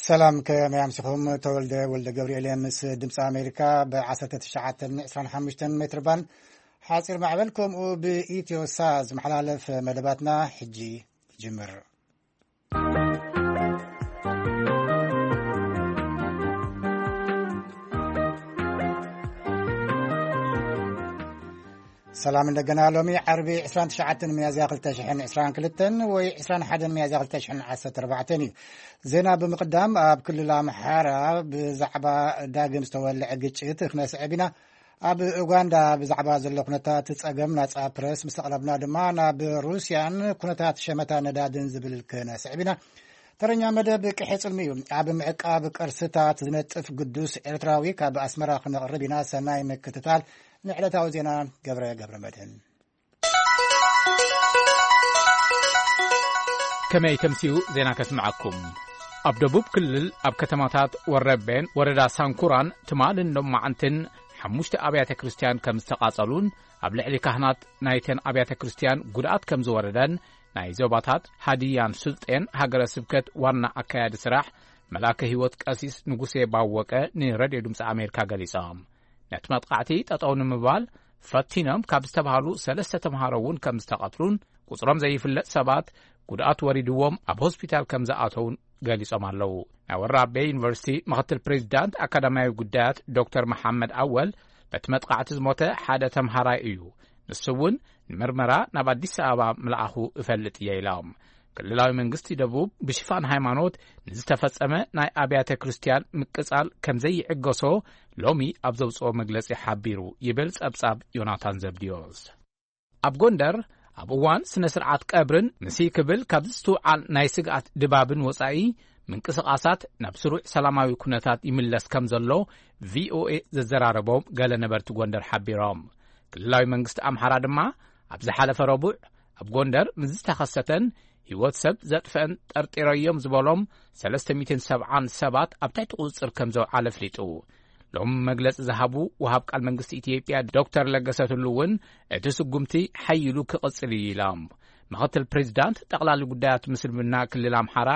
ሰላም፣ ከመይ ኣምሲኹም? ተወልደ ወልደ ገብርኤል እየ፣ ምስ ድምፂ ኣሜሪካ ብ ዓሰርተ ትሽዓተ ዕስራን ሓሙሽተን ሜትር ባንድ ሓፂር ማዕበል፣ ከምኡ ብኢትዮ ሳት ዝመሓላለፍ መደባትና ሕጂ ይጅምር። ሰላም እንደገና። ሎሚ ዓርቢ ዕስራን ትሽዓተን ሚያዝያ ክልተ ሽሕን ዕስራን ክልተን ወይ ዕስራን ሓደን ሚያዝያ ክልተ ሽሕን ዓሰርተ ኣርባዕተን እዩ። ዜና ብምቕዳም፣ ኣብ ክልል ኣምሓራ ብዛዕባ ዳግም ዝተወልዐ ግጭት ክነስዕብ ኢና። ኣብ ኡጋንዳ ብዛዕባ ዘሎ ኩነታት ጸገም ናጻ ፕረስ ምስ ኣቕረብና ድማ፣ ናብ ሩስያን ኩነታት ሸመታ ነዳድን ዝብል ክነስዕብ ኢና። ተረኛ መደብ ቅሒ ጽልሚ እዩ። ኣብ ምዕቃብ ቅርስታት ዝነጥፍ ግዱስ ኤርትራዊ ካብ ኣስመራ ክነቕርብ ኢና። ሰናይ ምክትታል። ንዕለታዊ ዜና ገብረ ገብረ መድህን። ከመይ ተምስዩ ዜና ከስምዓኩም። ኣብ ደቡብ ክልል ኣብ ከተማታት ወረቤን ወረዳ ሳንኩራን ትማልን ሎማዓንትን ሓሙሽተ ኣብያተ ክርስቲያን ከም ዝተቓጸሉን ኣብ ልዕሊ ካህናት ናይተን ኣብያተ ክርስቲያን ጉድኣት ከም ዝወረደን ናይ ዞባታት ሃዲያን ስልጤን ሃገረ ስብከት ዋና ኣካያዲ ስራሕ መላከ ህይወት ቀሲስ ንጉሴ ባወቀ ንሬድዮ ድምፂ ኣሜሪካ ገሊጾም። ነቲ መጥቃዕቲ ጠጠው ንምባል ፈቲኖም ካብ ዝተባሃሉ ሰለስተ ተምሃሮ እውን ከም ዝተቐትሉን ቁጽሮም ዘይፍለጥ ሰባት ጉድኣት ወሪድዎም ኣብ ሆስፒታል ከም ዝኣተውን ገሊጾም ኣለዉ። ናይ ወራቤ ዩኒቨርሲቲ ምኽትል ፕሬዚዳንት ኣካዳሚያዊ ጉዳያት ዶክተር መሓመድ ኣወል፣ በቲ መጥቃዕቲ ዝሞተ ሓደ ተምሃራይ እዩ፣ ንሱ እውን ንምርመራ ናብ ኣዲስ ኣበባ ምልኣኹ እፈልጥ እየ ኢሎም። ክልላዊ መንግስቲ ደቡብ ብሽፋን ሃይማኖት ንዝተፈጸመ ናይ ኣብያተ ክርስቲያን ምቅጻል ከም ዘይዕገሶ ሎሚ ኣብ ዘውጽኦ መግለጺ ሓቢሩ ይብል ጸብጻብ ዮናታን ዘብድዮስ። ኣብ ጎንደር ኣብ እዋን ስነ ስርዓት ቀብርን ምስ ክብል ካብ ዝስትውዓል ናይ ስግኣት ድባብን ወጻኢ ምንቅስቓሳት ናብ ስሩዕ ሰላማዊ ኩነታት ይምለስ ከም ዘሎ ቪኦኤ ዘዘራረቦም ገለ ነበርቲ ጎንደር ሓቢሮም። ክልላዊ መንግስቲ ኣምሓራ ድማ ኣብ ዝሓለፈ ረቡዕ ኣብ ጎንደር ምስ ዝተኸሰተን ህይወት ሰብ ዘጥፍአን ጠርጢረዮም ዝበሎም ሰለስተ ሚእትን ሰብዓን ሰባት ኣብ ትሕቲ ቁጽጽር ከም ዘውዓለ ኣፍሊጡ። ሎም መግለጺ ዝሃቡ ወሃብ ቃል መንግስቲ ኢትዮጵያ ዶክተር ለገሰ ቱሉ እውን እቲ ስጉምቲ ሓይሉ ክቕጽል እዩ ኢሎም። ምኽትል ፕሬዚዳንት ጠቕላሊ ጉዳያት ምስልምና ክልል ኣምሓራ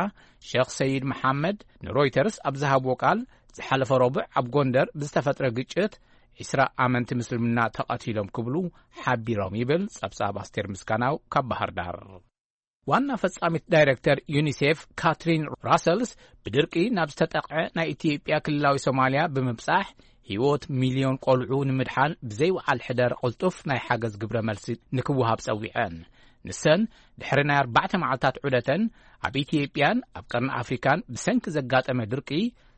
ሸኽ ሰይድ መሓመድ ንሮይተርስ ኣብ ዝሃብዎ ቃል፣ ዝሓለፈ ረቡዕ ኣብ ጎንደር ብዝተፈጥረ ግጭት ዒስራ ኣመንቲ ምስልምና ተቐቲሎም ክብሉ ሓቢሮም ይብል ጸብጻብ ኣስቴር ምስጋናው ካብ ባህር ዳር። ዋና ፈጻሚት ዳይረክተር ዩኒሴፍ ካትሪን ራሰልስ፣ ብድርቂ ናብ ዝተጠቕዐ ናይ ኢትዮጵያ ክልላዊ ሶማልያ ብምብጻሕ ህይወት ሚልዮን ቆልዑ ንምድሓን ብዘይወዓል ሕደር ቅልጡፍ ናይ ሓገዝ ግብረ መልሲ ንክወሃብ ጸዊዐን። ንሰን ድሕሪ ናይ ኣርባዕተ መዓልታት ዑደተን ኣብ ኢትዮጵያን ኣብ ቀርኒ ኣፍሪካን ብሰንኪ ዘጋጠመ ድርቂ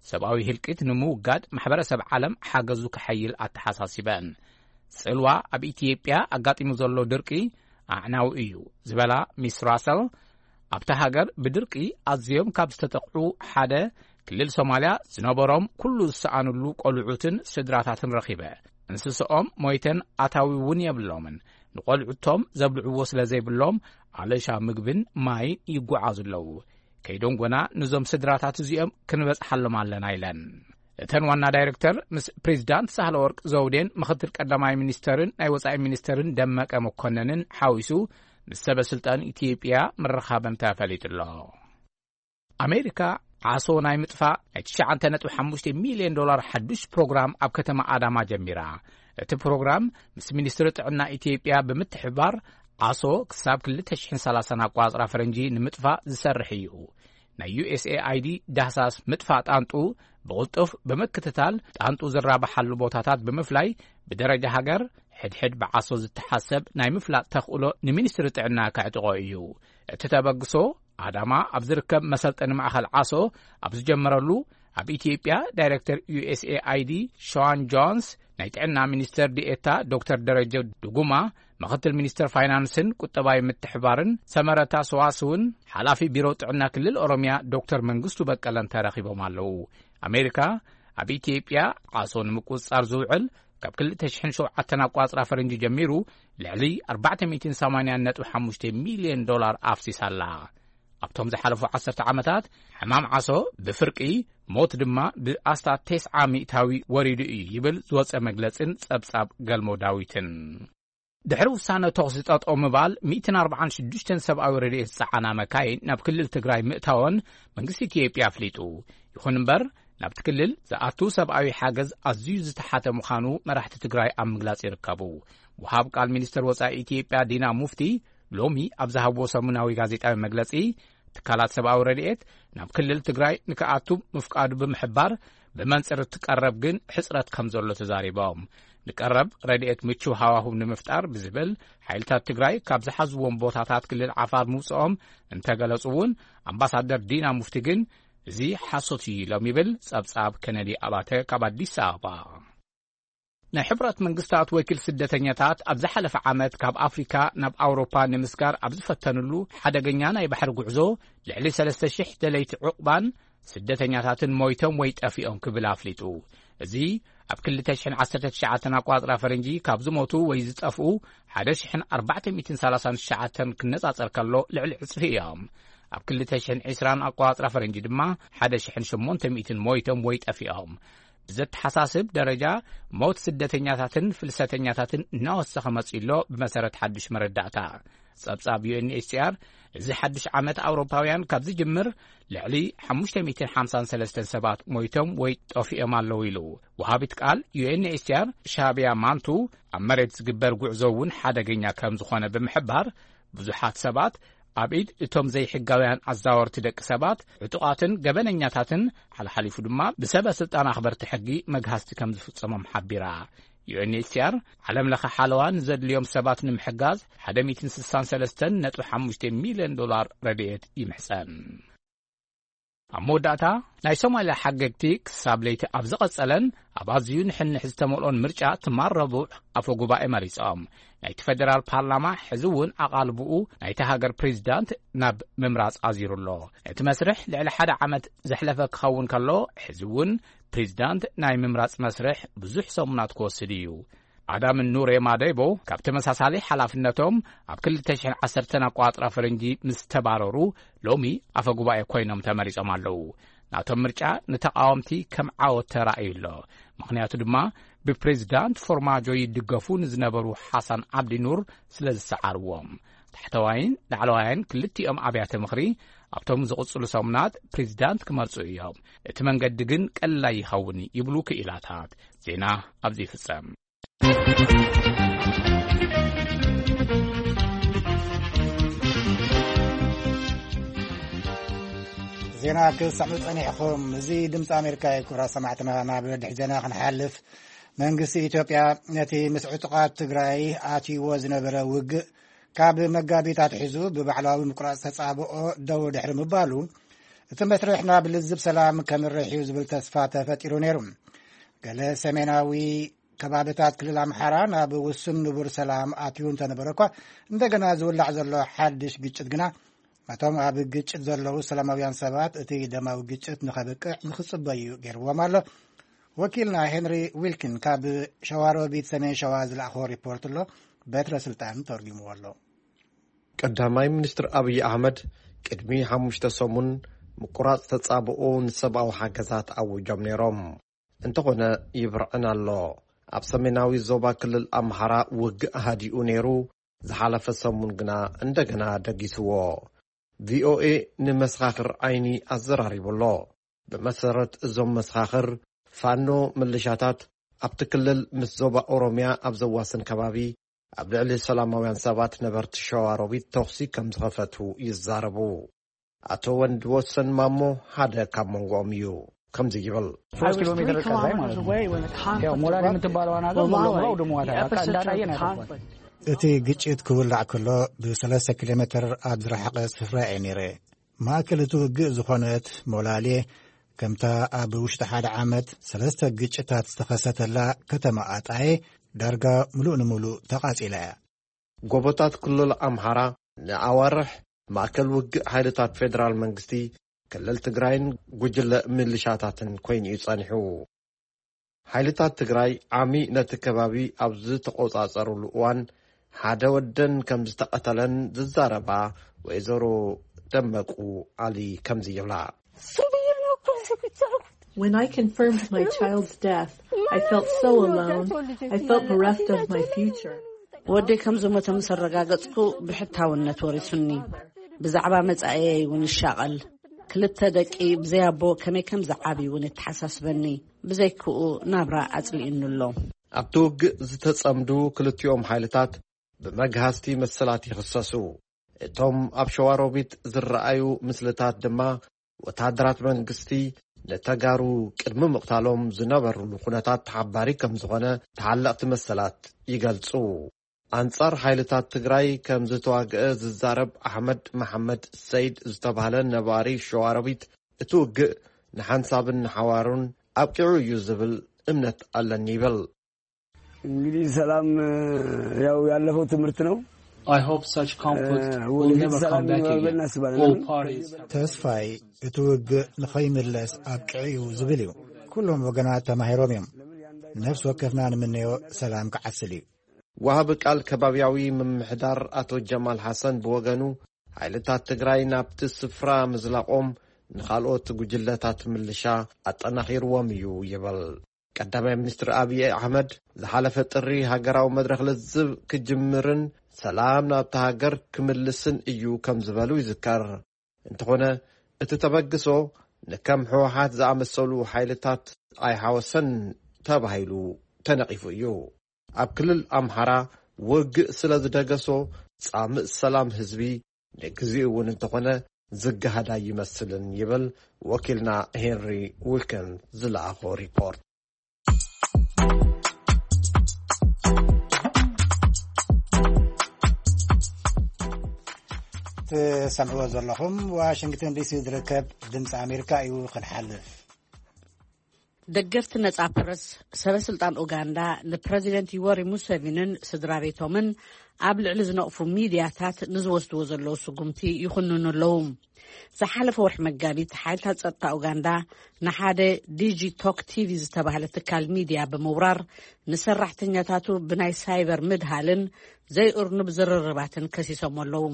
ሰብኣዊ ህልቂት ንምውጋድ ማሕበረሰብ ዓለም ሓገዙ ክሓይል ኣተሓሳሲበን። ጽልዋ ኣብ ኢትዮጵያ ኣጋጢሙ ዘሎ ድርቂ ኣዕናዊ እዩ ዝበላ ሚስ ራሰል፣ ኣብታ ሃገር ብድርቂ ኣዝዮም ካብ ዝተጠቕዑ ሓደ ክልል ሶማልያ ዝነበሮም ኩሉ ዝሰኣኑሉ ቆልዑትን ስድራታትን ረኺበ። እንስስኦም ሞይተን ኣታዊ እውን የብሎምን። ንቆልዑቶም ዘብልዕዎ ስለ ዘይብሎም ኣለሻ ምግብን ማይን ይጓዓዙ ኣለዉ። ከይዶም ጎና ነዞም ስድራታት እዚኦም ክንበጽሓሎም ኣለና ኢለን። እተን ዋና ዳይረክተር ምስ ፕሬዚዳንት ሳህለ ወርቅ ዘውዴን ምኽትል ቀዳማይ ሚኒስተርን ናይ ወጻኢ ሚኒስተርን ደመቀ መኮነንን ሓዊሱ ምስ ሰበ ስልጣን ኢትዮጵያ ምርኻበን ተፈሊጡ ኣሎ። ኣሜሪካ ዓሶ ናይ ምጥፋእ ናይ ትሽዓተ ነጥቢ ሓሙሽተ ሚልዮን ዶላር ሓዱሽ ፕሮግራም ኣብ ከተማ ኣዳማ ጀሚራ። እቲ ፕሮግራም ምስ ሚኒስትሪ ጥዕና ኢትዮጵያ ብምትሕብባር ዓሶ ክሳብ ክልተ ሽሕን ሰላሳን ኣቋጽራ ፈረንጂ ንምጥፋእ ዝሰርሕ እዩ። ናይ ዩ ኤስ ኤ ኣይ ዲ ዳህሳስ ምጥፋእ ጣንጡ ብቕልጡፍ ብምክትታል፣ ጣንጡ ዝራባሓሉ ቦታታት ብምፍላይ፣ ብደረጃ ሃገር ሕድሕድ ብዓሶ ዝተሓሰብ ናይ ምፍላጥ ተኽእሎ ንሚኒስትሪ ጥዕና ከዕጥቖ እዩ። እቲ ተበግሶ ኣዳማ ኣብ ዝርከብ መሰልጠኒ ማእኸል ዓሶ ኣብ ዝጀመረሉ፣ ኣብ ኢትዮጵያ ዳይሬክተር ዩ ኤስ ኤ ኣይ ዲ ሸዋን ጆንስ፣ ናይ ጥዕና ሚኒስተር ዲኤታ ዶክተር ደረጀ ድጉማ፣ ምኽትል ሚኒስተር ፋይናንስን ቁጠባዊ ምትሕባርን ሰመረታ ሰዋስውን፣ ሓላፊ ቢሮ ጥዕና ክልል ኦሮሚያ ዶክተር መንግስቱ በቀለን ተረኺቦም ኣለዉ። ኣሜሪካ ኣብ ኢትዮጵያ ዓሶ ንምቁጽጻር ዝውዕል ካብ ክልተ ሽሕን ሸውዓተን ኣቋጽራ ፈረንጂ ጀሚሩ ልዕሊ ኣርባዕተ ሚእትን ሰማንያን ነጥቢ ሓሙሽተ ሚልዮን ዶላር ኣፍሲሳ ኣላ። ኣብቶም ዝሓለፉ ዓሰርተ ዓመታት ሕማም ዓሶ ብፍርቂ፣ ሞት ድማ ብኣስታት ተስዓ ሚእታዊ ወሪዱ እዩ ይብል ዝወጸ መግለጽን ጸብጻብ ገልሞ ዳዊትን። ድሕሪ ውሳነ ተኹሲ ጠጠው ምባል፣ ሚእትን ኣርባዓን ሽዱሽተን ሰብኣዊ ረድኤት ዝጸዓና መካይን ናብ ክልል ትግራይ ምእታወን መንግስቲ ኢትዮጵያ ኣፍሊጡ። ይኹን እምበር፣ ናብቲ ክልል ዝኣቱ ሰብኣዊ ሓገዝ ኣዝዩ ዝተሓተ ምዃኑ መራሕቲ ትግራይ ኣብ ምግላጽ ይርከቡ። ወሃብ ቃል ሚኒስትር ወጻኢ ኢትዮጵያ ዲና ሙፍቲ ሎሚ ኣብ ዝሃብዎ ሰሙናዊ ጋዜጣዊ መግለጺ፣ ትካላት ሰብኣዊ ረድኤት ናብ ክልል ትግራይ ንክኣቱ ምፍቃዱ ብምሕባር፣ ብመንጽር እቲ ቀረብ ግን ሕጽረት ከም ዘሎ ተዛሪቦም። ንቀረብ ረድኤት ምቹው ሃዋህው ንምፍጣር ብዝብል፣ ሓይልታት ትግራይ ካብ ዝሓዝዎም ቦታታት ክልል ዓፋር ምውጽኦም እንተገለጹ እውን፣ ኣምባሳደር ዲና ሙፍቲ ግን እዚ ሓሶት እዩ ኢሎም ይብል ጸብጻብ ከነዲ ኣባተ ካብ ኣዲስ ኣበባ። ናይ ሕቡራት መንግስታት ወኪል ስደተኛታት ኣብ ዝሓለፈ ዓመት ካብ ኣፍሪካ ናብ ኣውሮፓ ንምስጋር ኣብ ዝፈተንሉ ሓደገኛ ናይ ባሕሪ ጉዕዞ፣ ልዕሊ ሰለስተ ሽሕ ደለይቲ ዕቑባን ስደተኛታትን ሞይቶም ወይ ጠፊኦም ክብል ኣፍሊጡ። እዚ ኣብ ክልተ ሽሕን ዓሰርተ ትሽዓተን ኣቋጽራ ፈረንጂ ካብ ዝሞቱ ወይ ዝጠፍኡ ሓደ ሽሕን ኣርባዕተ ሚእትን ሰላሳን ትሽዓተን ክነጻጸር ከሎ፣ ልዕሊ ዕጽፊ እዮም። ኣብ ክልተ ሽሕን ዕስራን ኣቋጽራ ፈረንጂ ድማ ሓደ ሽሕን ሸሞንተ ሚእትን ሞይቶም ወይ ጠፊኦም። ብዘተሓሳስብ ደረጃ፣ ሞት ስደተኛታትን ፍልሰተኛታትን እናወሰኸ መጺኡ ኣሎ። ብመሰረት ሓድሽ መረዳእታ፣ ጸብጻብ ዩ ኤን ኤች ሲ ኣር፣ እዚ ሓድሽ ዓመት ኣውሮፓውያን ካብ ዝጅምር፣ ልዕሊ ሓሙሽተ ሚእትን ሓምሳን ሰለስተን ሰባት ሞይቶም ወይ ጠፊኦም ኣለዉ ኢሉ። ወሃቢት ቃል ዩ ኤን ኤች ሲ ኣር ሻቢያ ማንቱ፣ ኣብ መሬት ዝግበር ጉዕዞ እውን ሓደገኛ ከም ዝኾነ ብምሕባር፣ ብዙሓት ሰባት ኣብ ኢድ እቶም ዘይሕጋውያን ኣዛወርቲ ደቂ ሰባት፣ ዕጡቓትን ገበነኛታትን፣ ሓልሓሊፉ ድማ ብሰበ ስልጣን ኣኽበርቲ ሕጊ መግሃስቲ ከም ዝፍጸሞም ሓቢራ። ዩ ኤን ኤች ሲ ኣር፣ ዓለም ለኸ ሓለዋ ንዘድልዮም ሰባት ንምሕጋዝ ሓደ ሚእትን ስሳን ሰለስተን ነጥቢ ሓሙሽተ ሚልዮን ዶላር ረድኤት ይምሕጸን። ኣብ መወዳእታ፣ ናይ ሶማልያ ሓገግቲ ክሳብ ለይቲ ኣብ ዝቐጸለን ኣብ ኣዝዩ ንሕንሕ ዝተመልኦን ምርጫ፣ ትማል ረቡዕ ኣፈ ጉባኤ መሪጾም። ናይቲ ፈደራል ፓርላማ ሕዚ እውን ኣቓልብኡ ናይቲ ሃገር ፕሬዚዳንት ናብ ምምራጽ ኣዚሩ ኣሎ። እቲ መስርሕ ልዕሊ ሓደ ዓመት ዘሕለፈ ክኸውን ከሎ፣ ሕዚ እውን ፕሬዚዳንት ናይ ምምራጽ መስርሕ ብዙሕ ሰሙናት ክወስድ እዩ። ኣዳምን ኑሬ ማዴቦ፣ ካብ ተመሳሳሊ ሓላፍነቶም ኣብ ክልተ ሽሕን ዓሰርተን ኣቋጽራ ፈረንጂ ምስ ተባረሩ፣ ሎሚ ኣፈ ጉባኤ ኮይኖም ተመሪጾም ኣለዉ። ናቶም ምርጫ ንተቓወምቲ ከም ዓወት ተራእዩ ኣሎ። ምኽንያቱ ድማ፣ ብፕሬዚዳንት ፎርማጆ ይድገፉ ንዝነበሩ ሓሳን ዓብዲ ኑር ስለ ዝሰዓርዎም። ታሕተዋይን ላዕለዋይን ክልቲኦም ኣብያተ ምኽሪ፣ ኣብቶም ዝቕጽሉ ሰሙናት ፕሬዚዳንት ክመርጹ እዮም። እቲ መንገዲ ግን ቀላይ ይኸውን ይብሉ ክኢላታት። ዜና ኣብዚ ይፍጸም። ዜና ክትሰምዑ ጸኒሕኹም። እዚ ድምፂ ኣሜሪካ እዩ። ክቡራት ሰማዕትና፣ ናብ ድሕሪ ዜና ክንሓልፍ፣ መንግስቲ ኢትዮጵያ ነቲ ምስ ዕጡቓት ትግራይ ኣትይዎ ዝነበረ ውግእ ካብ መጋቢት ኣትሒዙ ብባዕላዊ ምቁራፅ ተፃብኦ ደው ድሕሪ ምባሉ፣ እቲ መስርሕ ናብ ልዝብ ሰላም ከምርሕ እዩ ዝብል ተስፋ ተፈጢሩ ነይሩ። ገለ ሰሜናዊ ከባብታት ክልል ኣምሓራ ናብ ውሱን ንቡር ሰላም ኣትዩ እንተነበረ እኳ፣ እንደገና ዝውላዕ ዘሎ ሓድሽ ግጭት ግና፣ ነቶም ኣብ ግጭት ዘለዉ ሰላማውያን ሰባት እቲ ደማዊ ግጭት ንኸብቅዕ ንኽጽበዩ ገይርዎም ኣሎ። ወኪልና ሄንሪ ዊልኪን ካብ ሸዋሮቢት ሰሜን ሸዋ ዝለኣኾ ሪፖርት ኣሎ። በትረ ስልጣን ተርጉምዎ ኣሎ። ቀዳማይ ሚኒስትር ኣብይ ኣሕመድ ቅድሚ ሓሙሽተ ሰሙን ምቁራጽ ተጻብኦ ንሰብኣዊ ሓገዛት ኣውጆም ነይሮም። እንተኾነ ይብርዕን ኣሎ። ኣብ ሰሜናዊ ዞባ ክልል ኣምሓራ ውግእ ሃዲኡ ነይሩ። ዝሓለፈ ሰሙን ግና እንደገና ደጊስዎ። ቪኦኤ ንመሰኻኽር ዓይኒ ኣዘራሪቡ ኣሎ። ብመሰረት እዞም መሰኻኽር፣ ፋኖ ምልሻታት ኣብቲ ክልል ምስ ዞባ ኦሮምያ ኣብ ዘዋስን ከባቢ ኣብ ልዕሊ ሰላማውያን ሰባት ነበርቲ ሸዋሮቢት ተኹሲ ከም ዝኸፈቱ ይዛረቡ። ኣቶ ወንድ ወሰን ማሞ ሓደ ካብ መንጎኦም እዩ። ከምዚ ይብል። ሶስት ኪሎ ሜትር ርቀት ላይ ማለት ነው። ያው ሞላሌ የምትባለዋን ሀገር ሙሉ በሙሉ አውድመዋታል። በቃ እንዳላየ ነው ያጠፏት። እቲ ግጭት ክውላዕ ከሎ ብሰለስተ ኪሎ ሜትር ኣብ ዝረሓቐ ስፍራ እየ ነይረ። ማእከል እቲ ውግእ ዝኾነት ሞላሌ፣ ከምታ ኣብ ውሽጢ ሓደ ዓመት ሰለስተ ግጭታት ዝተኸሰተላ ከተማ ኣጣዬ፣ ዳርጋ ምሉእ ንምሉእ ተቓጺላ እያ። ጎቦታት ክልል ኣምሓራ ንኣዋርሕ ማእከል ውግእ ሓይልታት ፌደራል መንግስቲ፣ ክልል ትግራይን ጉጅለ ሚሊሻታትን ኮይኑ እዩ ጸኒሑ። ሓይልታት ትግራይ ዓሚ ነቲ ከባቢ ኣብ ዝተቖጻጸሩሉ እዋን፣ ሓደ ወደን ከም ዝተቐተለን ዝዛረባ ወይዘሮ ደመቁ ዓሊ ከምዚ ይብላ። When I confirmed my child's death, I felt so alone. I felt bereft of my future. ወደይ ከም ዝሞተ ምስ ኣረጋገጽኩ፣ ብሕታውነት ወሪሱኒ። ብዛዕባ መጻኢየይ እውን ይሻቐል። ክልተ ደቂ ብዘይ ኣቦ ከመይ ከም ዝዓብዩ እውን የተሓሳስበኒ። ብዘይክኡ ናብራ ኣጽሊኡኒ ኣሎ። ኣብቲ ውግእ ዝተጸምዱ ክልቲኦም ሓይልታት ብመግሃስቲ መሰላት ይኽሰሱ። እቶም ኣብ ሸዋሮቢት ዝረኣዩ ምስልታት ድማ ወተሃደራት መንግስቲ ንተጋሩ ቅድሚ ምቕታሎም ዝነበሩሉ ኩነታት ተሓባሪ ከም ዝኾነ ተሓለቕቲ መሰላት ይገልጹ። ኣንጻር ሓይልታት ትግራይ ከም ዝተዋግአ ዝዛረብ ኣሕመድ መሓመድ ሰይድ ዝተባህለ ነባሪ ሸዋሮቢት፣ እቲ ውግእ ንሓንሳብን ንሓዋሩን ኣብቂዑ እዩ ዝብል እምነት ኣለኒ ይብል። እንግዲህ ሰላም ያው ያለፈው ትምህርት ነው። I hope such conflict will ወደፊት never ሰላም come back ይኖራል ብለን again. እናስባለን። All parties ተስፋይ እቲ ውግእ ንኸይምለስ ኣብቂዑ እዩ ዝብል እዩ። ኩሎም ወገናት ተማሂሮም እዮም። ነፍሲ ወከፍና ንምነዮ ሰላም ክዓስል እዩ። ወሃቢ ቃል ከባቢያዊ ምምሕዳር ኣቶ ጀማል ሓሰን ብወገኑ፣ ሓይልታት ትግራይ ናብቲ ስፍራ ምዝላቖም ንኻልኦት ጉጅለታት ምልሻ ኣጠናኺርዎም እዩ ይብል። ቀዳማይ ሚኒስትር ኣብይ ኣሕመድ ዝሓለፈ ጥሪ ሃገራዊ መድረኽ ልዝብ ክጅምርን ሰላም ናብታ ሃገር ክምልስን እዩ ከም ዝበሉ ይዝከር። እንተኾነ እቲ ተበግሶ ንከም ህወሓት ዝኣመሰሉ ሓይልታት ኣይሓወሰን ተባሂሉ ተነቒፉ እዩ። ኣብ ክልል ኣምሓራ ውግእ ስለ ዝደገሶ ጻምእ ሰላም ህዝቢ ንግዚኡ እውን እንተኾነ ዝገሃድ ኣይመስልን ይብል ወኪልና ሄንሪ ዊልከን ዝለኣኾ ሪፖርት። ትሰምዕዎ ዘለኹም ዋሽንግተን ዲሲ ዝርከብ ድምፂ ኣሜሪካ እዩ። ክንሓልፍ ደገፍቲ ነጻ ፕረስ ሰበ ስልጣን ኡጋንዳ ንፕረዚደንት ዩወሪ ሙሴቪንን ስድራ ቤቶምን ኣብ ልዕሊ ዝነቕፉ ሚድያታት ንዝወስድዎ ዘለዉ ስጉምቲ ይኹንኑ ኣለዉ። ዝሓለፈ ወርሒ መጋቢት ሓይልታት ጸጥታ ኡጋንዳ ንሓደ ዲጂ ቶክ ቲቪ ዝተባህለ ትካል ሚድያ ብምውራር ንሰራሕተኛታቱ ብናይ ሳይበር ምድሃልን ዘይእርኑብ ዝርርባትን ከሲሶም ኣለዉ።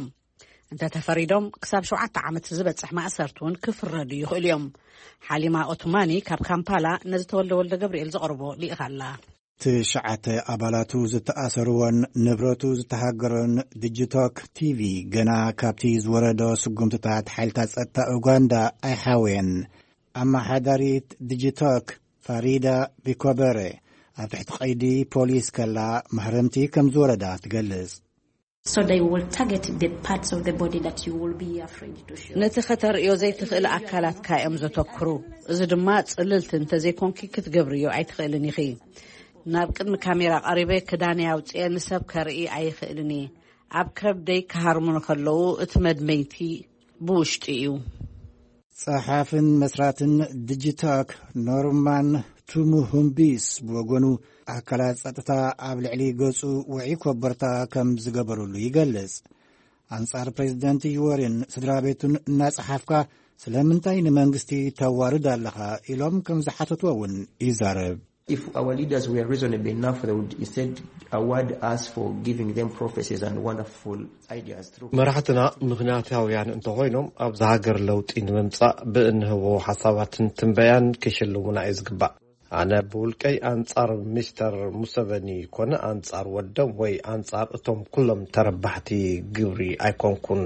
እንተተፈሪዶም ክሳብ ሸውዓተ ዓመት ዝበጽሕ ማእሰርቲ እውን ክፍረዱ ይኽእሉ እዮም። ሓሊማ ኦትማኒ ካብ ካምፓላ ነዚ ተወልደ ወልደ ገብርኤል ዘቕርቦ ልኢኻ ኣላ። ትሽዓተ ኣባላቱ ዝተኣሰርዎን ንብረቱ ዝተሃገሮን ዲጂቶክ ቲቪ ገና ካብቲ ዝወረዶ ስጉምትታት ሓይልታት ጸጥታ ኡጋንዳ ኣይሓወየን። ኣመሓዳሪት ዲጂቶክ ፋሪዳ ቢኮበረ ኣብ ትሕቲ ቀይዲ ፖሊስ ከላ ማህረምቲ ከም ዝወረዳ ትገልጽ። So they will target the parts of the body that you will be afraid to show. ነቲ ከተርእዮ ዘይትኽእል ኣካላትካ እዮም ዘተኩሩ። እዚ ድማ ጽልልቲ እንተዘይኮንኪ ክትገብርዮ ኣይትኽእልን ኢኺ። ናብ ቅድሚ ካሜራ ቀሪበ ክዳነይ ኣውጽኤ ንሰብ ከርኢ ኣይኽእልን እየ። ኣብ ከብደይ ክሃርሙኒ ከለዉ እቲ መድመይቲ ብውሽጢ እዩ። ጸሓፍን መስራትን ዲጂታክ ኖርማን ቱሙሁምቢስ ብወገኑ ኣካላት ጸጥታ ኣብ ልዕሊ ገጹ ውዒ ኮበርታ ከም ዝገበሩሉ ይገልጽ። ኣንጻር ፕሬዚደንት ዩወሪን ስድራ ቤቱን እናጸሓፍካ ስለምንታይ ንመንግስቲ ተዋርድ ኣለኻ ኢሎም ከም ዝሓተትዎ እውን ይዛረብ። If our leaders were reasonable enough, they would instead award us for giving them prophecies and wonderful ideas through መራሕትና ምኽንያታውያን እንተኾይኖም ኣብዚ ሃገር ለውጢ ንምምጻእ ብእንህቦ ሓሳባትን ትንበያን ክሽልሙና እዩ ዝግባእ። ኣነ ብውልቀይ ኣንጻር ሚስተር ሙሰቨኒ ኮነ ኣንጻር ወዶም ወይ ኣንጻር እቶም ኩሎም ተረባሕቲ ግብሪ ኣይኮንኩን፣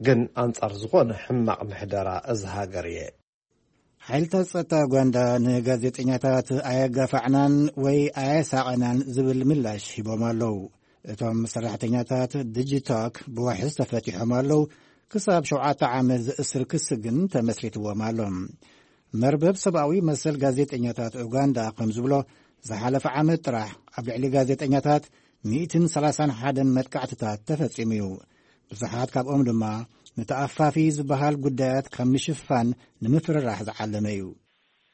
ግን ኣንጻር ዝኾነ ሕማቕ ምሕደራ እዚ ሃገር እየ። ሓይልታት ጸጥታ ኡጋንዳ ንጋዜጠኛታት ኣየጋፋዕናን ወይ ኣየሳቐናን ዝብል ምላሽ ሂቦም ኣለዉ። እቶም ሰራሕተኛታት ዲጂቶክ ብዋሕስ ተፈቲሖም ኣለዉ። ክሳብ ሸውዓተ ዓመት ዝእስር ክሲ ግን ተመስሪትዎም ኣሎ። መርበብ ሰብኣዊ መሰል ጋዜጠኛታት ኡጋንዳ ከም ዝብሎ ዝሓለፈ ዓመት ጥራሕ ኣብ ልዕሊ ጋዜጠኛታት ሚእትን ሰላሳን ሓደን መጥቃዕትታት ተፈጺሙ እዩ። ብዙሓት ካብኦም ድማ ንተኣፋፊ ዝበሃል ጉዳያት ካብ ምሽፋን ንምፍርራሕ ዝዓለመ እዩ።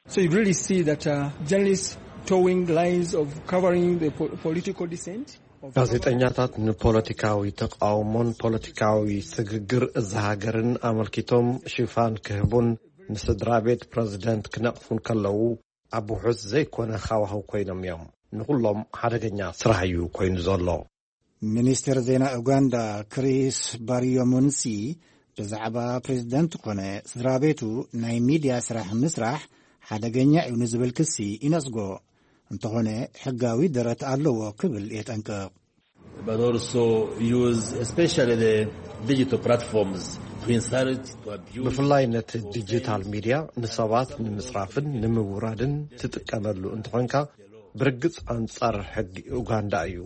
So you really see that uh, journalists towing lines of covering the po- political dissent. Of ጋዜጠኛታት ንፖለቲካዊ ተቃውሞን ፖለቲካዊ ስግግር እዛ ሃገርን ኣመልኪቶም ሽፋን ክህቡን ንስድራ ቤት ፕረዚደንት ክነቕፉን ከለዉ ኣብ ውሑስ ዘይኮነ ሃዋህው ኮይኖም እዮም። ንኹሎም ሓደገኛ ስራሕ እዩ ኮይኑ ዘሎ። ሚኒስትር ዜና ኡጋንዳ ክሪስ ባሪዮሙንሲ ብዛዕባ ፕሬዚደንት ኮነ ስድራ ቤቱ ናይ ሚድያ ስራሕ ምስራሕ ሓደገኛ እዩ ንዝብል ክሲ ይነጽጎ። እንተኾነ ሕጋዊ ደረት ኣለዎ ክብል የጠንቅቕ። But also use especially the digital platforms ብፍላይ ነቲ ዲጂታል ሚድያ ንሰባት ንምጽራፍን ንምውራድን ትጥቀመሉ እንተኾንካ፣ ብርግጽ ኣንጻር ሕጊ ኡጋንዳ እዩ።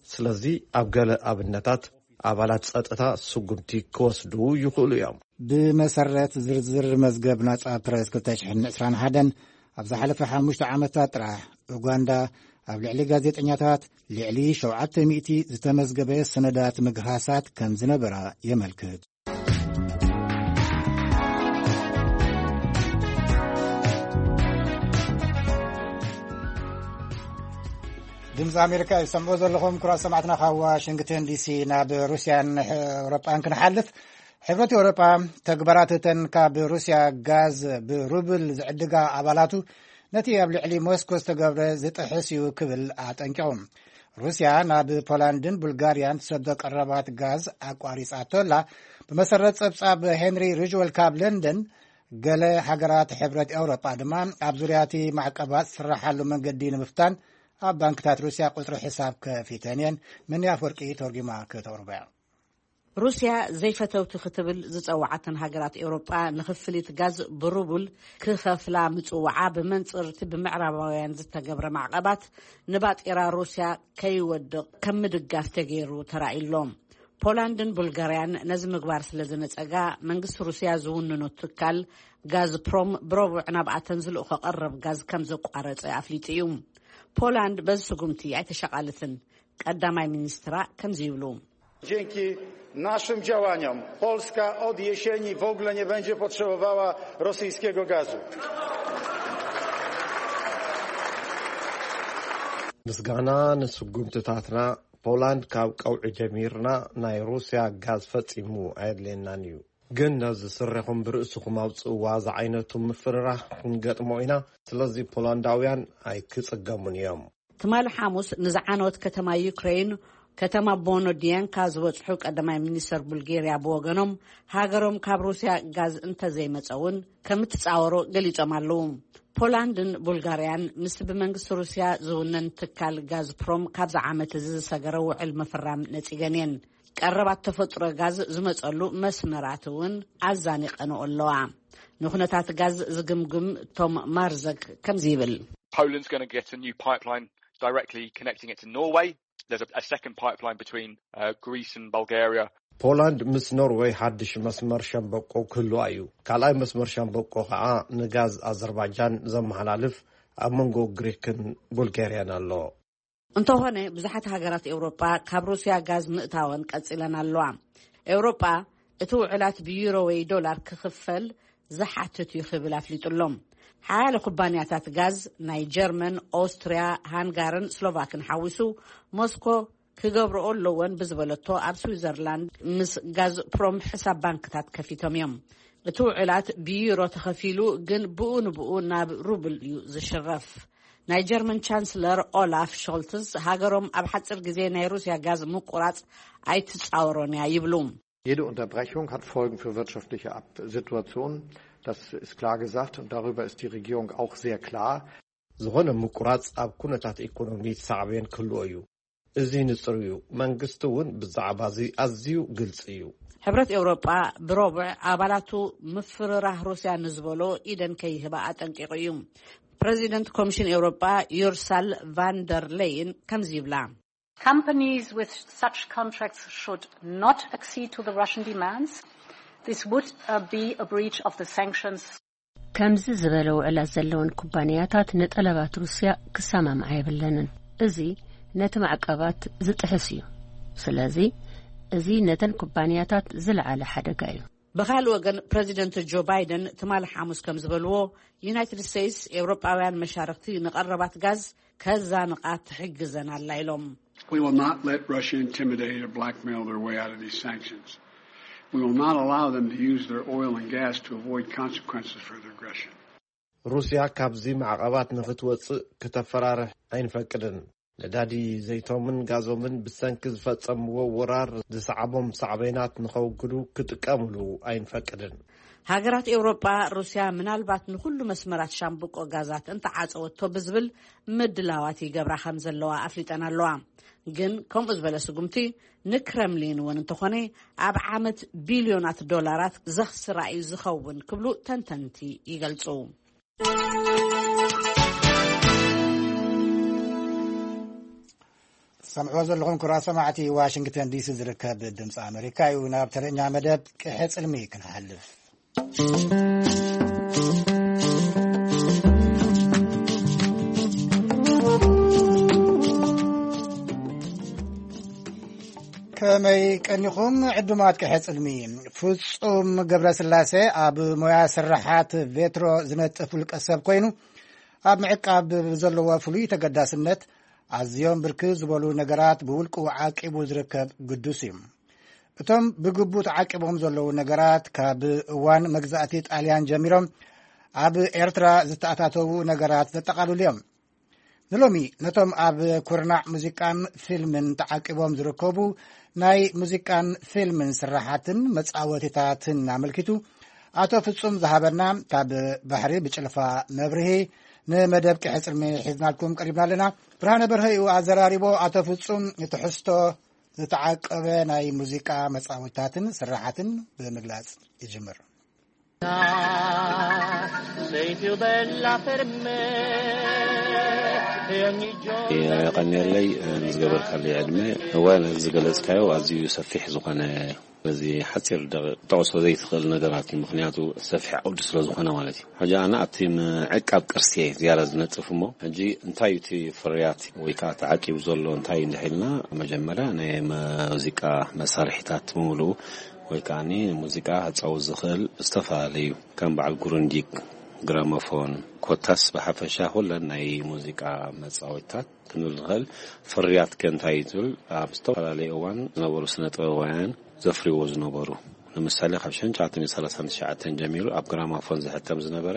ስለዚ ኣብ ገለ ኣብነታት ኣባላት ጸጥታ ስጉምቲ ክወስዱ ይኽእሉ እዮም። ብመሰረት ዝርዝር መዝገብ ናጻ ፕረስ ክልተ ሽሕን ዕስራን ሓደን፣ ኣብ ዝሓለፈ ሓሙሽተ ዓመታት ጥራሕ ኡጋንዳ ኣብ ልዕሊ ጋዜጠኛታት ልዕሊ ሸውዓተ ሚእቲ ዝተመዝገበ ሰነዳት ምግሃሳት ከም ዝነበራ የመልክት። ድምፂ ኣሜሪካ ይሰምዑ ዘለኹም ክቡራት ሰማዕትና ካብ ዋሽንግተን ዲሲ። ናብ ሩስያን ኤውሮጳን ክንሓልፍ፣ ሕብረት ኤውሮጳ ተግባራት እተን ካብ ሩስያ ጋዝ ብሩብል ዝዕድጋ ኣባላቱ ነቲ ኣብ ልዕሊ ሞስኮ ዝተገብረ ዝጥሕስ እዩ ክብል ኣጠንቂቑ። ሩስያ ናብ ፖላንድን ቡልጋርያን ትሰዶ ቀረባት ጋዝ ኣቋሪጻቶ ኣላ። ብመሰረት ጸብጻብ ሄንሪ ሪጅወል ካብ ለንደን፣ ገለ ሃገራት ሕብረት ኤውሮጳ ድማ ኣብ ዙርያ እቲ ማዕቀባት ዝስራሓሉ መንገዲ ንምፍታን ኣብ ባንክታት ሩስያ ቁጽሪ ሕሳብ ከፊተን እየን። መኒ ኣፍወርቂ ተርጉማ ከተቕርቦ እያ። ሩስያ ዘይፈተውቲ ክትብል ዝጸውዓተን ሃገራት ኤውሮጳ ንክፍሊት ጋዝ ብሩቡል ክኸፍላ ምጽውዓ ብመንጽር እቲ ብምዕራባውያን ዝተገብረ ማዕቐባት ንባጤራ ሩስያ ከይወድቕ ከም ምድጋፍ ተገይሩ ተራእዩ ኣሎ። ፖላንድን ቡልጋርያን ነዚ ምግባር ስለ ዝነጸጋ፣ መንግስቲ ሩስያ ዝውንኖ ትካል ጋዝፕሮም ብረቡዕ ናብኣተን ዝልእኾ ቀረብ ጋዝ ከም ዘቋረጸ ኣፍሊጡ እዩ። ፖላንድ በዚ ስጉምቲ ኣይተሻቓልትን። ቀዳማይ ሚኒስትራ ከምዚ ይብሉ። Dzięki naszym działaniom Polska od jesieni w ogóle nie będzie potrzebowała rosyjskiego gazu. ምስጋና ንስጉምትታትና፣ ፖላንድ ካብ ቀውዒ ጀሚርና ናይ ሩስያ ጋዝ ፈጺሙ ኣየድልየናን እዩ። ግን ነዚ ስሪኹም ብርእስኹም ኣውጽእዋ ዝዓይነቱ ምፍርራህ ክንገጥሞ ኢና። ስለዚ ፖላንዳውያን ኣይክጽገሙን እዮም። ትማሊ ሓሙስ ንዝዓነወት ከተማ ዩክሬን፣ ከተማ ቦኖዲየንካ ዝበጽሑ ቀዳማይ ሚኒስተር ቡልጌርያ ብወገኖም፣ ሃገሮም ካብ ሩስያ ጋዝ እንተዘይመጸ እውን ከም እትጻወሮ ገሊጾም ኣለዉ። ፖላንድን ቡልጋርያን ምስቲ ብመንግስቲ ሩስያ ዝውነን ትካል ጋዝፕሮም ካብዚ ዓመት እዚ ዝሰገረ ውዕል ምፍራም ነጺገን እየን። ቀረባት ተፈጥሮ ጋዝ ዝመጸሉ መስመራት እውን ኣዛኒቐንኦ ኣለዋ። ንኩነታት ጋዝ ዝግምግም ቶም ማርዘክ ከምዚ ይብል። Poland's gonna get a new pipeline directly connecting it to Norway. There's a, a second pipeline between uh, Greece and Bulgaria. ፖላንድ ምስ ኖርወይ ሓድሽ መስመር ሸምበቆ ክህልዋ እዩ። ካልኣይ መስመር ሸምበቆ ከዓ ንጋዝ ኣዘርባጃን ዘመሓላልፍ ኣብ መንጎ ግሪክን ቡልጋርያን ኣሎ። እንተኾነ፣ ብዙሓት ሃገራት ኤውሮጳ ካብ ሩስያ ጋዝ ምእታወን ቀጺለን ኣለዋ። ኤውሮጳ እቲ ውዕላት ብዩሮ ወይ ዶላር ክኽፈል ዝሓትት እዩ ክብል ኣፍሊጡ ኣሎ። ሓያለ ኩባንያታት ጋዝ ናይ ጀርመን፣ ኦስትርያ፣ ሃንጋርን ስሎቫክን ሓዊሱ፣ ሞስኮ ክገብርኦ ኣለወን ብዝበለቶ ኣብ ስዊዘርላንድ ምስ ጋዝፕሮም ሕሳብ ባንክታት ከፊቶም እዮም። እቲ ውዕላት ብዩሮ ተኸፊሉ፣ ግን ብኡ ንብኡ ናብ ሩብል እዩ ዝሽረፍ። ናይ ጀርመን ቻንስለር ኦላፍ ሾልትስ፣ ሃገሮም ኣብ ሓጺር ግዜ ናይ ሩስያ ጋዝ ምቁራጽ ኣይትጻወሮን እያ ይብሉ። Jede Unterbrechung hat Folgen für wirtschaftliche Ab- Situationen. Das ist klar gesagt und darüber ist die Regierung auch sehr klar. ዝኾነ ምቁራጽ ኣብ ኩነታት ኢኮኖሚ ሳዕቤን ክህልዎ እዩ። እዚ ንጹር እዩ። መንግስቲ እውን ብዛዕባ እዚ ኣዝዩ ግልጺ እዩ። ሕብረት ኤውሮጳ ብረቡዕ ኣባላቱ ምፍርራህ ሩስያ ንዝበሎ ኢደን ከይህባ ኣጠንቂቑ እዩ። ፕረዚደንት ኮሚሽን ኤውሮጳ ዩርሳል ቫንደር ሌይን ከምዚ ይብላ። Companies with such contracts should not accede to the Russian demands. This would uh, be a breach of the sanctions. ከምዚ ዝበለ ውዕላት ዘለወን ኩባንያታት ንጠለባት ሩስያ ክሰማምዓ የብለንን። እዚ ነቲ ማዕቀባት ዝጥሕስ እዩ። ስለዚ እዚ ነተን ኩባንያታት ዝለዓለ ሓደጋ እዩ። ብኻልእ ወገን፣ ፕረዚደንት ጆ ባይደን ትማሊ ሓሙስ ከም ዝበልዎ፣ ዩናይትድ ስቴትስ ኤውሮጳውያን መሻርክቲ ንቐረባት ጋዝ ከዛንቓ ትሕግዘን ኣላ ኢሎም። We will not let Russia intimidate or blackmail their way out of these sanctions. We will not allow them to use their oil and gas to avoid consequences for their aggression. ሩስያ ካብዚ ማዕቐባት ንኽትወጽእ ክተፈራርሕ ኣይንፈቅድን። ነዳዲ ዘይቶምን ጋዞምን ብሰንኪ ዝፈጸምዎ ወራር ዝሰዓቦም ሳዕቤናት ንኸውግዱ ክጥቀምሉ ኣይንፈቅድን። ሃገራት ኤውሮጳ፣ ሩስያ ምናልባት ንኹሉ መስመራት ሻምብቆ ጋዛት እንተዓጸወቶ ብዝብል ምድላዋት ይገብራ ከም ዘለዋ ኣፍሊጠን ኣለዋ። ግን ከምኡ ዝበለ ስጉምቲ ንክረምሊን እውን እንተኾነ ኣብ ዓመት ቢልዮናት ዶላራት ዘኽስራ እዩ ዝኸውን ክብሉ ተንተንቲ ይገልጹ። ሰምዕዎ ዘለኹም ክቡራት ሰማዕቲ፣ ዋሽንግተን ዲሲ ዝርከብ ድምፂ ኣመሪካ እዩ። ናብ ተረኛ መደብ ቅሐ ፅልሚ ክንሓልፍ። ከመይ ቀኒኹም ዕዱማት ቅሐ ጽልሚ? ፍጹም ገብረስላሴ ኣብ ሞያ ስራሓት ቬትሮ ዝነጥፍ ውልቀ ሰብ ኮይኑ፣ ኣብ ምዕቃብ ዘለዎ ፍሉይ ተገዳስነት ኣዝዮም ብርክት ዝበሉ ነገራት ብውልቁ ዓቂቡ ዝርከብ ግዱስ እዩ። እቶም ብግቡእ ተዓቂቦም ዘለዉ ነገራት ካብ እዋን መግዛእቲ ጣልያን ጀሚሮም ኣብ ኤርትራ ዝተኣታተዉ ነገራት ዘጠቓልሉ እዮም። ንሎሚ ነቶም ኣብ ኩርናዕ ሙዚቃን ፊልምን ተዓቂቦም ዝርከቡ ናይ ሙዚቃን ፊልምን ስራሓትን መጻወቲታትን ኣመልኪቱ ኣቶ ፍጹም ዝሃበና ካብ ባሕሪ ብጭልፋ መብርሂ ንመደብ ቅሕጽልሚ ሒዝናልኩም ቀሪብና ኣለና። ብርሃነ በርሀ እዩ ኣዘራሪቦ። ኣቶ ፍጹም፣ ትሕዝቶ ዝተዓቀበ ናይ ሙዚቃ መጻወቲታትን ስራሓትን ብምግላጽ ይጅምር። Sei più bella per me e ogni giorno. የቐንየለይ ንዝገበርካለይ ዕድመ። እወ፣ ነዚ ዝገለጽካዮ ኣዝዩ ሰፊሕ ዝኾነ፣ በዚ ሓጺር ደቂቕ ጠቕሶ ዘይትኽእል ነገራት እዩ። ምኽንያቱ ሰፊሕ ዓውዲ ስለ ዝኾነ ማለት እዩ። ሕጂ ኣነ ኣብቲ ምዕቃብ ቅርሲ እየ ዝያዳ ዝነጥፍ እሞ፣ ሕጂ እንታይ እዩ እቲ ፍርያት ወይ ከዓ ተዓቂቡ ዘሎ እንታይ እንድሕልና፣ መጀመርያ ናይ ሙዚቃ መሳርሒታት ብምሉኡ ወይ ከዓ ንሙዚቃ ክጻወት ዝኽእል ዝተፈላለዩ ከም በዓል ጉሩንዲግ፣ ግራሞፎን፣ ኮታስ ብሓፈሻ ኩለን ናይ ሙዚቃ መጻወቲታት ክንብል ንኽእል። ፍርያት ከ እንታይ እዩ ትብል፣ ኣብ ዝተፈላለዩ እዋን ዝነበሩ ስነ ጥበባውያን ዘፍርይዎ ዝነበሩ፣ ንምሳሌ ካብ ሽሕን ትሽዓተ ሚእትን ሰላሳን ትሽዓተን ጀሚሩ ኣብ ግራሞፎን ዝሕተም ዝነበረ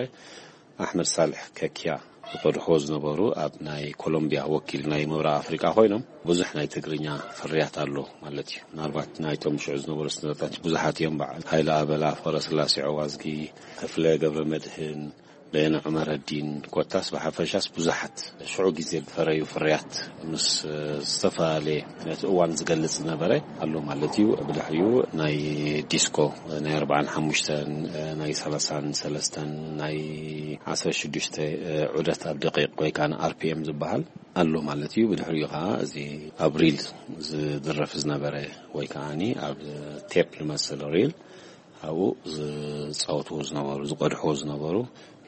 ኣሕመድ ሳልሕ ከኪያ ዝቐድሕዎ ዝነበሩ ኣብ ናይ ኮሎምቢያ ወኪል ናይ ምብራቕ ኣፍሪቃ ኮይኖም ብዙሕ ናይ ትግርኛ ፍርያት ኣሎ ማለት እዩ። ምናልባት ናይቶም ሽዑ ዝነበሩ ስነጥበባውያን ብዙሓት እዮም። በዓል ሃይለ ኣበላ፣ ፍቕረስላሴ ዑዋዝጊ፣ ክፍለ ገብረ መድህን፣ በየነ ዑመረዲን ኮታስ ብሓፈሻስ ብዙሓት ሽዑ ግዜ ዝፈረዩ ፍርያት ምስ ዝተፈላለየ ነቲ እዋን ዝገልጽ ዝነበረ ኣሎ ማለት እዩ። ብድሕሪኡ ናይ ዲስኮ ናይ ኣርባዓን ሓሙሽተን፣ ናይ ሰላሳን ሰለስተን፣ ናይ ዓሰርተ ሽዱሽተ ዑደት ኣብ ደቂቕ ወይ ከዓ ኣርፒኤም ዝበሃል ኣሎ ማለት እዩ። ብድሕሪኡ ከዓ እዚ ኣብ ሪል ዝድረፍ ዝነበረ ወይ ከዓ ኣብ ቴፕ ዝመስል ሪል ኣብኡ ዝጻወትዎ ዝነበሩ፣ ዝቐድሕዎ ዝነበሩ፣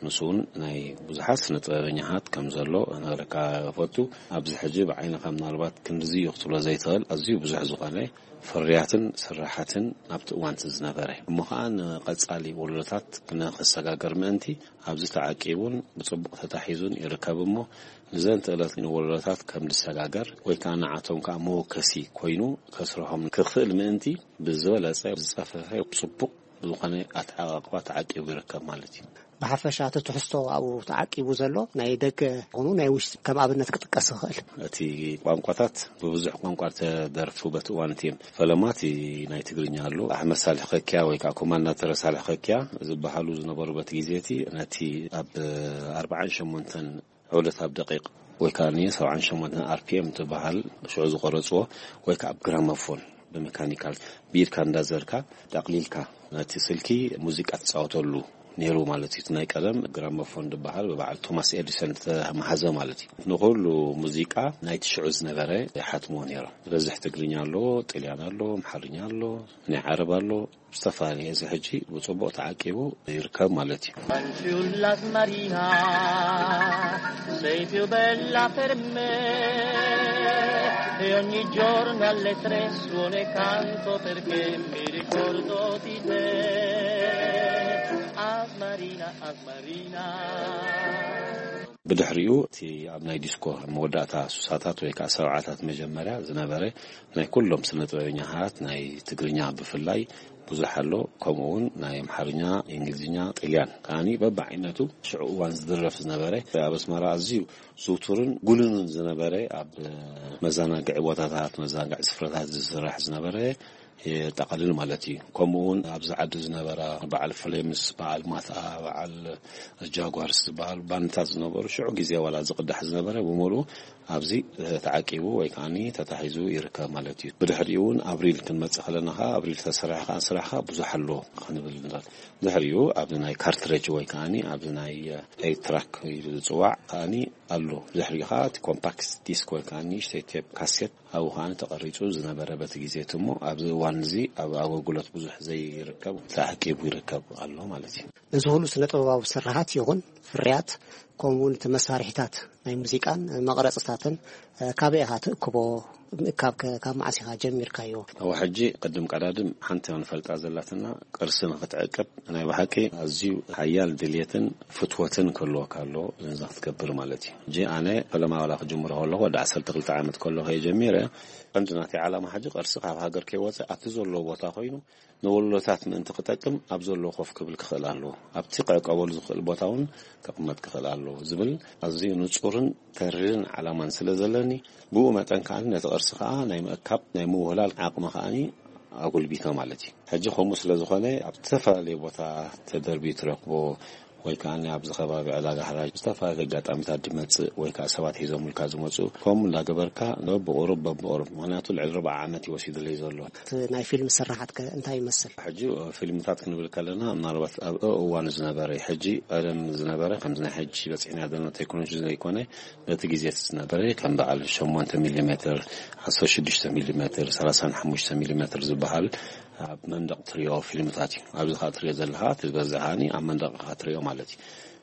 ንሱ እውን ናይ ብዙሓት ስነ ጥበበኛታት ከም ዘሎ ክነግረካ እፈቱ። ኣብዚ ሕጂ ብዓይንኻ ምናልባት ክንድዚ እዩ ክትብሎ ዘይትኽእል ኣዝዩ ብዙሕ ዝኾነ ፍርያትን ስራሓትን ናብቲ እዋን እቲ ዝነበረ እሞ ኸዓ ንቐጻሊ ወለዶታት ንኽሰጋገር ምእንቲ ኣብዚ ተዓቂቡን ብጽቡቕ ተታሒዙን ይርከብ እሞ ንዘን ትእለት ንወለዶታት ከም ዝሰጋገር ወይ ከዓ ንዓቶም ከዓ መወከሲ ኮይኑ ከስርሖም ክኽእል ምእንቲ ብዝበለጸ ዝጸፈፈ ጽቡቕ ዝኾነ ኣተዓቃቕባ ተዓቂቡ ይርከብ ማለት እዩ። ብሓፈሻ እቲ ትሕዝቶ ኣብኡ ተዓቂቡ ዘሎ ናይ ደገ ኾኑ ናይ ውሽጢ ከም ኣብነት ክጥቀስ ይኽእል። እቲ ቋንቋታት ብብዙሕ ቋንቋ ተደርፉ በቲ እዋን እቲ እዮም። ፈለማ እቲ ናይ ትግርኛ ኣሎ። ኣሕመድ ሳልሕ ከኪያ ወይ ከዓ ኮማንዳተር ሳልሕ ከኪያ ዝበሃሉ ዝነበሩ በቲ ግዜ እቲ ነቲ ኣብ ኣርባዓን ሸሞንተን ዑደት ኣብ ደቂቕ ወይ ከዓ ሰብዓን ሸሞንተን ኣርፒኤም ትበሃል ሽዑ ዝቐረጽዎ ወይ ከዓ ኣብ ግራሞፎን ብመካኒካል ብኢድካ እንዳዘርካ ጠቕሊልካ ነቲ ስልኪ ሙዚቃ ትጻወተሉ ነይሩ ማለት እዩ። እቲ ናይ ቀደም ግራሞፎን ዝበሃል ብበዓል ቶማስ ኤዲሰን ዝተመሃዘ ማለት እዩ። ንኹሉ ሙዚቃ ናይቲ ሽዑ ዝነበረ ይሓትምዎ ነይሮም። ዝበዝሕ ትግርኛ ኣሎ፣ ጥልያን ኣሎ፣ ኣምሓርኛ ኣሎ፣ ናይ ዓረብ ኣሎ፣ ዝተፈላለየ እዚ ሕጂ ብጽቡቕ ተዓቂቡ ይርከብ ማለት እዩ። Fanciulla Marina, sei più bella per me e ogni giorno alle tre suono e canto perché mi ricordo di te. Asmarina, Asmarina. ብድሕሪኡ እቲ ኣብ ናይ ዲስኮ መወዳእታ ሱሳታት ወይ ከዓ ሰብዓታት መጀመርያ ዝነበረ ናይ ኩሎም ስነ ጥበበኛታት ናይ ትግርኛ ብፍላይ ብዙሕ ኣሎ። ከምኡ እውን ናይ ኣምሓርኛ፣ እንግሊዝኛ፣ ጥልያን ከዓኒ በብዓይነቱ ሽዑ እዋን ዝድረፍ ዝነበረ ኣብ ኣስመራ ኣዝዩ ዝውቱርን ጉሉንን ዝነበረ ኣብ መዘናግዒ ቦታታት፣ መዘናግዒ ስፍራታት ዝስራሕ ዝነበረ የጠቓልል ማለት እዩ። ከምኡ እውን ኣብዚ ዓዲ ዝነበራ በዓል ፍሌምስ፣ በዓል ማትኣ፣ በዓል ጃጓርስ ዝበሃል ባንድታት ዝነበሩ ሽዑ ግዜ ዋላ ዝቕዳሕ ዝነበረ ብምሉኡ ኣብዚ ተዓቂቡ ወይ ከዓኒ ተታሒዙ ይርከብ ማለት እዩ። ብድሕሪኡ እውን ኣብሪል ክንመጽእ ከለና ኸዓ ኣብሪል ተሰሪሕካ ስራሕካ ብዙሕ ኣሎ ክንብል ንኽእል። ድሕሪኡ ኣብዚ ናይ ካርትሬጅ ወይ ከዓኒ ኣብዚ ናይ ኤይት ትራክ ኢሉ ዝጽዋዕ ከዓኒ ኣሎ። ድሕሪኡ ኸዓ እቲ ኮምፓክት ዲስክ ወይ ከዓኒ ንእሽተይ ቴፕ ካሴት ኣብኡ ከዓኒ ተቐሪጹ ዝነበረ በቲ ግዜ እቲ እሞ ኣብዚ እዋን እዚ ኣብ ኣገልግሎት ብዙሕ ዘይርከብ ተዓቂቡ ይርከብ ኣሎ ማለት እዩ። እዚ ኩሉ ስነ ጥበባዊ ስርሓት ይኹን ፍርያት ከምኡ እውን እቲ መሳርሒታት ናይ ሙዚቃን መቕረፅታትን እ፣ ካበይ ኢኻ ትእክቦ? ምእካብ ከ ካብ መዓስ ኢኻ ጀሚርካዮ? ኣብ ሕጂ ቅድም ቀዳድም ሓንቲ ንፈልጣ ዘላትና ቅርሲ ንኽትዕቅብ ናይ ብሓቂ ኣዝዩ ሓያል ድልየትን ፍትወትን ክህልወካ ኣለዎ ነዚ ክትገብር ማለት እዩ። ሕጂ ኣነ ፈለማ ዋላ ክጅምሮ ከለኹ ወዲ ዓሰርተ ክልተ ዓመት ከለኹ እየ ጀሚረ። ቀንዲ ናተይ ዓላማ ሕጂ ቅርሲ ካብ ሃገር ከይወፀ ኣብቲ ዘለዎ ቦታ ኮይኑ ንወለዶታት ምእንቲ ክጠቅም ኣብ ዘለዎ ኮፍ ክብል ክኽእል ኣለዎ። ኣብቲ ክዕቀበሉ ዝኽእል ቦታ እውን ክቕመጥ ክኽእል ኣለዎ ዝብል ኣዝዩ ንጹርን ተሪርን ዓላማን ስለ ዘለኒ ብኡ መጠን ከዓኒ ነቲ ቅርሲ ከኣ ናይ ምእካብ ናይ ምውህላል ዓቕሚ ከዓኒ ኣጉልቢተ ማለት እዩ። ሕጂ ከምኡ ስለ ዝኾነ ኣብ ዝተፈላለየ ቦታ ተደርብዩ ትረክቦ ወይ ከዓኒ ኣብዚ ከባቢ ዕዳጋ ሕራጅ ዝተፈላለዩ ኣጋጣሚታት ዝመጽእ ወይ ከኣ ሰባት ሒዞምልካ ዝመጹ ከምኡ እንዳገበርካ በብቑሩብ በብቑሩብ ምኽንያቱ ልዕሊ ርብዓ ዓመት እዩ ወሲዱለይ ዘሎ። እቲ ናይ ፊልም ስርሓት ከ እንታይ ይመስል? ሕጂ ፊልምታት ክንብል ከለና ምናልባት ኣብ እዋኑ ዝነበረ እዩ። ሕጂ ቀደም ዝነበረ ከምዚ ናይ ሕጂ በፂሕና ዘለና ቴክኖሎጂ ዘይኮነ በቲ ግዜ እቲ ዝነበረ ከም በዓል ሸሞንተ ሚሊ ሜትር፣ ዓሰርተ ሽዱሽተ ሚሊ ሜትር፣ ሰላሳን ሓሙሽተ ሚሊ ሜትር ዝበሃል ኣብ መንደቕ ትሪኦ ፊልምታት እዩ። ኣብዚ ኸዓ ትሪኦ ዘለኻ እቲ ዝበዝሕ ከዓኒ ኣብ መንደቕ ኢኻ ትሪኦ ማለት እዩ።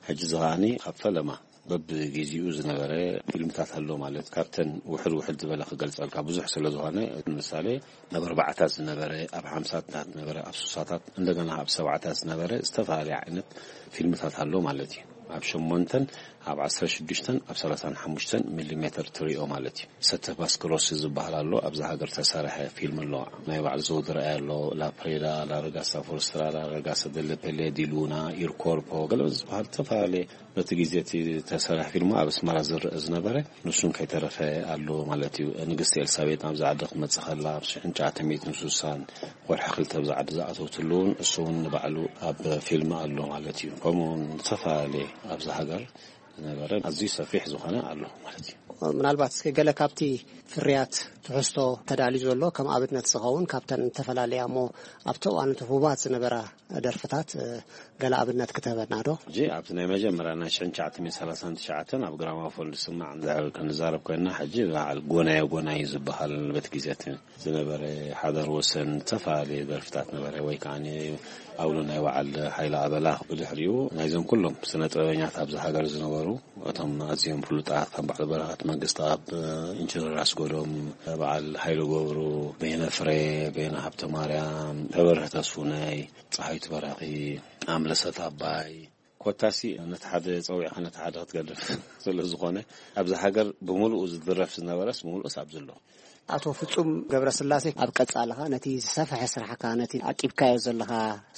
ሕጂ እዚ ከዓኒ ኣብ ፈለማ በብግዜኡ ዝነበረ ፊልምታት ኣሎ ማለት ካብተን ውሕድ ውሕድ ዝበለ ክገልጸልካ ብዙሕ ስለ ዝኾነ ንምሳሌ ኣብ ኣርባዓታት ዝነበረ ኣብ ሓምሳታት ዝነበረ ኣብ ሱሳታት እንደገና ኣብ ሰብዓታት ዝነበረ ዝተፈላለየ ዓይነት ፊልምታት ኣሎ ማለት እዩ። ኣብ ሸሞንተን ኣብ ዓሰርተ ሽዱሽተን ኣብ ሰላሳን ሓሙሽተን ሚሊ ሜትር ትሪኦ ማለት እዩ። ሰተ ፓስክሮሲ ዝበሃል ኣሎ ኣብዛ ሃገር ተሰርሐ ፊልም ኣሎ ናይ ባዕሉ ዘውዲ ረኣይ ኣሎ ላፕሬዳ ላረጋሳ ፎረስትራ ላረጋሳ ደለፔሌ ዲሉና ኢርኮርፖ ገለ ዝበሃል ዝተፈላለየ በቲ ግዜ እቲ ተሰርሐ ፊልም ኣብ ኣስመራ ዝረአ ዝነበረ ንሱን ከይተረፈ ኣሎ ማለት እዩ። ንግስቲ ኤልሳቤጥ ናብዚ ዓዲ ክትመጽእ ከላ ኣብ ሽሕን ትሽዓተ ሚእትን ስሳን ወርሒ ክልተ ኣብዚ ዓዲ ዝኣተውትሉ እውን እሱ እውን ንባዕሉ ኣብ ፊልም ኣሎ ማለት እዩ። ከምኡ እውን ዝተፈላለየ ኣብዚ ሃገር ዝነበረ ኣዝዩ ሰፊሕ ዝኾነ ኣሎ ማለት እዩ። ምናልባት እስኪ ገለ ካብቲ ፍርያት ትሕዝቶ ተዳልዩ ዘሎ ከም ኣብነት ዝኸውን ካብተን ዝተፈላለያ እሞ ኣብቲ እዋን እቲ ህቡባት ዝነበራ ደርፍታት እ፣ ገለ ኣብነት ክትህበና ዶ? ሕጂ ኣብቲ ናይ መጀመርያ ናይ ሽሕን ትሽዓተ ሚእትን ሰላሳን ትሽዓተን ኣብ ግራማፎን ዝስማዕ እንድሕር ክንዛረብ ኮይንና ሕጂ በዓል ጎናዮ ጎናዮ ዝበሃል በቲ ግዜ እቲ ዝነበረ ሓዳር ወሰን ዝተፈላለየ ደርፍታት ነበረ ወይ ከዓ ኣውሎ ናይ በዓል ሓይለ ኣበላ ብድሕሪኡ ናይዞም ኩሎም ስነ ጥበበኛት ኣብዚ ሃገር ዝነበሩ እቶም ኣዝዮም ፍሉጣት ከም በዓል በረኸት መንግስትኣብ፣ ኢንጂነር ኣስገዶም፣ በዓል ሃይለ ገብሩ፣ በየነ ፍሬ፣ በየነ ሃብተ ማርያም፣ ተበርህ ተስፉነይ፣ ፀሃይቱ በራኺ፣ ኣምለሰት ኣባይ ኮታሲ ነቲ ሓደ ፀዊዕካ ነቲ ሓደ ክትገድፍ ስለ ዝኾነ ኣብዚ ሃገር ብምሉኡ ዝድረፍ ዝነበረስ ብምሉኡስ ኣብዚ ኣሎ። ኣቶ ፍጹም ገብረስላሴ ኣብ ቀጻሊ ኸኣ ነቲ ዝሰፍሐ ስራሕካ ነቲ ዓቂብካዮ ዘለኻ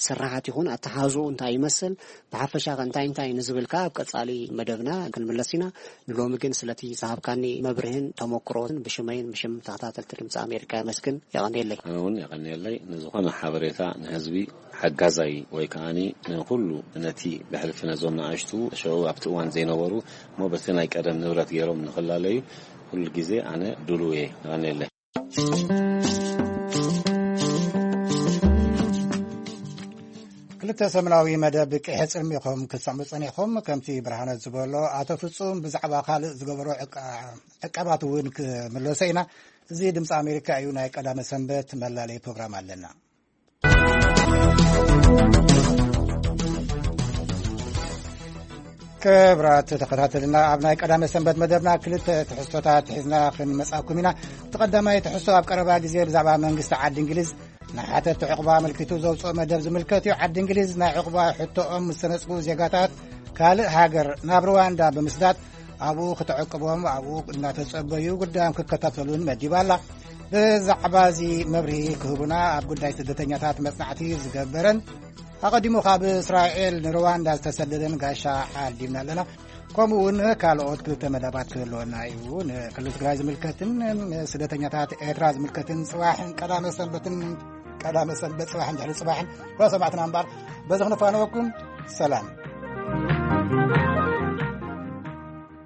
ስራሓት ይኹን ኣተሓዝኡ እንታይ ይመስል ብሓፈሻ ከ እንታይ እንታይ ንዝብል ከኣ ኣብ ቀጻሊ መደብና ክንምለስ ኢና። ንሎሚ ግን ስለቲ ዝሃብካኒ መብርህን ተመክሮን ብሽመይን ብሽም ተኸታተልቲ ድምፂ ኣሜሪካ የመስግን። የቐንየለይ። ኣነ እውን የቐንየለይ። ንዝኾነ ሓበሬታ ንህዝቢ ሓጋዛይ ወይ ከዓኒ ንኹሉ ነቲ ብሕልፊ ነዞም ንኣሽቱ ሸው ኣብቲ እዋን ዘይነበሩ እሞ በቲ ናይ ቀደም ንብረት ገይሮም ንኽላለዩ ኩሉ ግዜ ኣነ ድሉው እየ። የቐንየለይ። ክልተ ሰሙናዊ መደብ ቅሐ ጽልሚ ኢኹም ክትሰምዑ ጸኒሕኩም። ከምቲ ብርሃነት ዝበሎ ኣቶ ፍጹም ብዛዕባ ካልእ ዝገበሮ ዕቃ- ዕቃባት እውን ክምለሶ ኢና። እዚ ድምፂ ኣሜሪካ እዩ። ናይ ቀዳመ ሰንበት መላለይ ፕሮግራም ኣለና። ክብራት ተኸታተልና ኣብ ናይ ቀዳመ ሰንበት መደብና ክልተ ትሕዝቶታት ሒዝና ክንመጻኩም ኢና። እቲ ቀዳማይ ትሕዝቶ ኣብ ቀረባ ግዜ ብዛዕባ መንግስቲ ዓዲ እንግሊዝ ንሓተት ዕቑባ ኣመልኪቱ ዘውፅኦ መደብ ዝምልከት እዩ። ዓዲ እንግሊዝ ናይ ዕቑባ ሕቶኦም ምስ ተነፅጉ ዜጋታት ካልእ ሃገር ናብ ሩዋንዳ ብምስዳድ ኣብኡ ክተዕቅቦም ኣብኡ እናተጸበዩ ጉዳዮም ክከታተሉን መዲባ ኣላ። ብዛዕባ እዚ መብርሂ ክህቡና ኣብ ጉዳይ ስደተኛታት መጽናዕቲ ዝገበረን ኣቐዲሙ ካብ እስራኤል ንሩዋንዳ ዝተሰደደን ጋሻ ዓዲምና ኣለና። ከምኡ እውን ካልኦት ክልተ መደባት ክህልወና እዩ። ንክልል ትግራይ ዝምልከትን ስደተኛታት ኤርትራ ዝምልከትን ጽባሕን ቀዳመ ሰንበትን ቀዳመ ሰንበት ጽባሕን ድሕሪ ጽባሕን ኩላ ሰማዕትና እምበር፣ በዚ ክንፋነወኩም። ሰላም።